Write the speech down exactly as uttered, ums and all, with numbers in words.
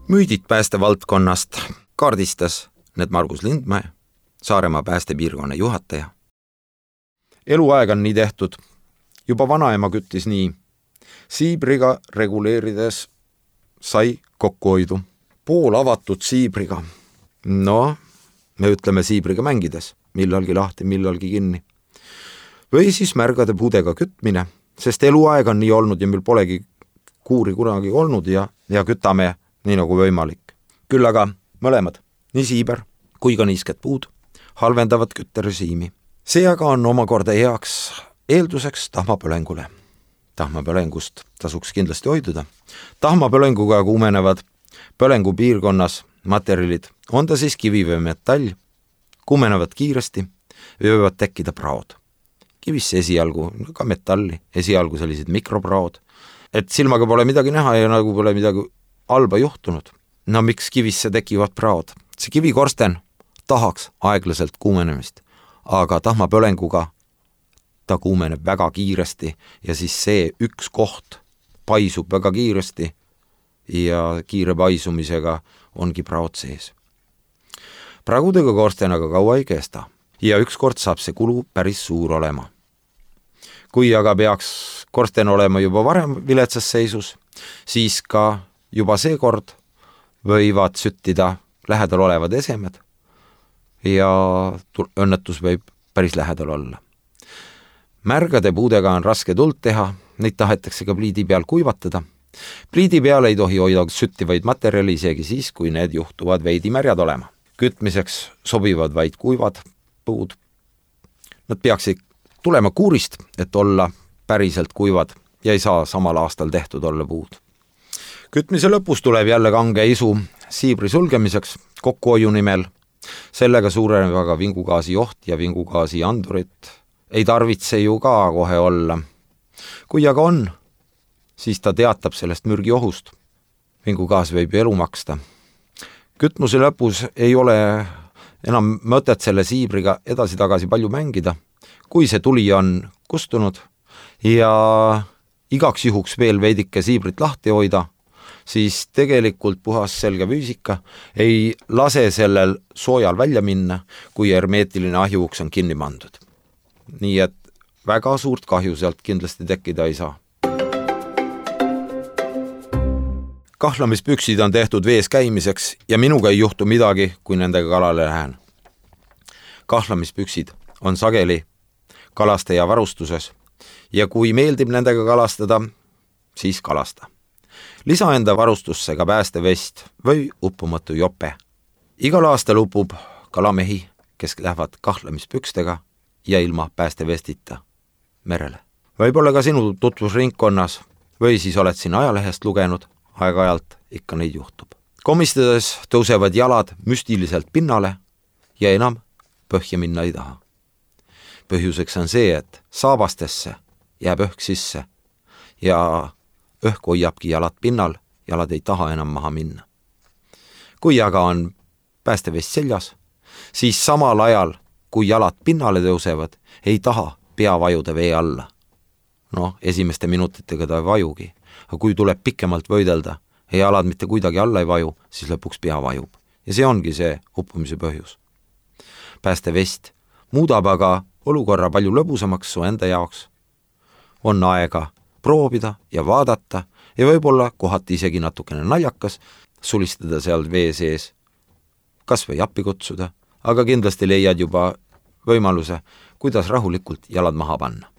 Müüdid päästevaldkonnast kaardistas need Margus Lindmäe, Saaremaa päästepiirkonna juhataja. Eluaeg on nii tehtud. Juba vanaema küttis nii. Siibriga reguleerides sai kokkuhoidu. Pool avatud siibriga. No, me ütleme siibriga mängides. Millalgi lahti, millalgi kinni. Või siis märgade puudega kütmine, sest eluaeg on nii olnud ja meil polegi kuuri kunagi olnud ja, ja kütame nii nagu võimalik. Küll aga mõlemad, nii siiber kui ka niisked puud, halvendavad kütterežiimi. See aga on omakorda heaks eelduseks tahmapõlengule. Tahmapõlengust tasuks kindlasti hoiduda. Tahmapõlenguga kuumenevad põlengu piirkonnas materjalid, on ta siis kivi või metall, kuumenevad kiiresti ja võivad tekkida praod. Kivisse esialgu, ka metalli, esialgu sellised mikropraod, et silmaga pole midagi näha ja nagu pole midagi halba juhtunud. No miks kivisse tekivad praod? See kivikorsten tahaks aeglaselt kuumenemist, aga tahmapõlenguga ta kuumeneb väga kiiresti ja siis see üks koht paisub väga kiiresti ja kiire paisumisega ongi praod sees. Pragudega korsten aga kaua ei kesta ja ükskord saab see kulu päris suur olema. Kui aga peaks korsten olema juba varem viletsas seisus, siis ka juba see kord võivad süttida lähedal olevad esemed ja õnnetus võib päris lähedal olla. Märgade puudega on raske tuld teha, neid tahetakse ka pliidi peal kuivatada. Pliidi peal ei tohi hoida süttivaid materjali isegi siis, kui need juhtuvad veidi märjad olema. Kütmiseks sobivad vaid kuivad puud. Nad peaksid tulema kuurist, et olla päriselt kuivad ja ei saa samal aastal tehtud olla puud. Kütmise lõpus tuleb jälle kange isu siibri sulgemiseks kokkuhoiu nimel. Sellega suureneb aga vingugaasi joht ja vingugaasi andurit. Ei tarvitse ju ka kohe olla. Kui aga on, siis ta teatab sellest mürgi ohust. Vingugaas võib elu maksta. Kütmuse lõpus ei ole enam mõtet selle siibriga edasi-tagasi palju mängida. Kui see tuli on kustunud ja igaks juhuks veel veidike siibrit lahti hoida, siis tegelikult puhas selge füüsika ei lase sellel soojal välja minna, kui hermeetiline ahjuuks on kinni pandud. Nii et väga suurt kahju sealt kindlasti tekkida ei saa. Kahlamispüksid on tehtud vees käimiseks ja minuga ei juhtu midagi, kui nendega kalale lähen. Kahlamispüksid on sageli kalastaja varustuses ja kui meeldib nendega kalastada, siis kalasta. Lisa enda varustusse ka päästevest või uppumatu jope. Igal aastal upub kalamehi, kes lähevad kahlamispükstega ja ilma päästevestita merele. Võib-olla ka sinu tutvusringkonnas või siis oled siin ajalehest lugenud, aeg-ajalt ikka neid juhtub. Komistades tõusevad jalad müstiliselt pinnale ja enam põhja minna ei taha. Põhjuseks on see, et saabastesse jääb õhk sisse ja õhk hoiabki jalad pinnal, jalad ei taha enam maha minna. Kui aga on päästevest seljas, siis samal ajal, kui jalad pinnale tõusevad, ei taha pea vajuda vee alla. No, esimeste minutitega ta ei vajugi, aga kui tuleb pikemalt võidelda ja jalad mitte kuidagi alla ei vaju, siis lõpuks pea vajub. Ja see ongi see uppumise põhjus. Päästevest muudab aga olukorra palju lõbusamaks su enda jaoks. On aega proovida ja vaadata ja võib-olla kohati isegi natukene naljakas sulistada seal vee sees, kas või appi kutsuda, aga kindlasti leiad juba võimaluse, kuidas rahulikult jalad maha panna.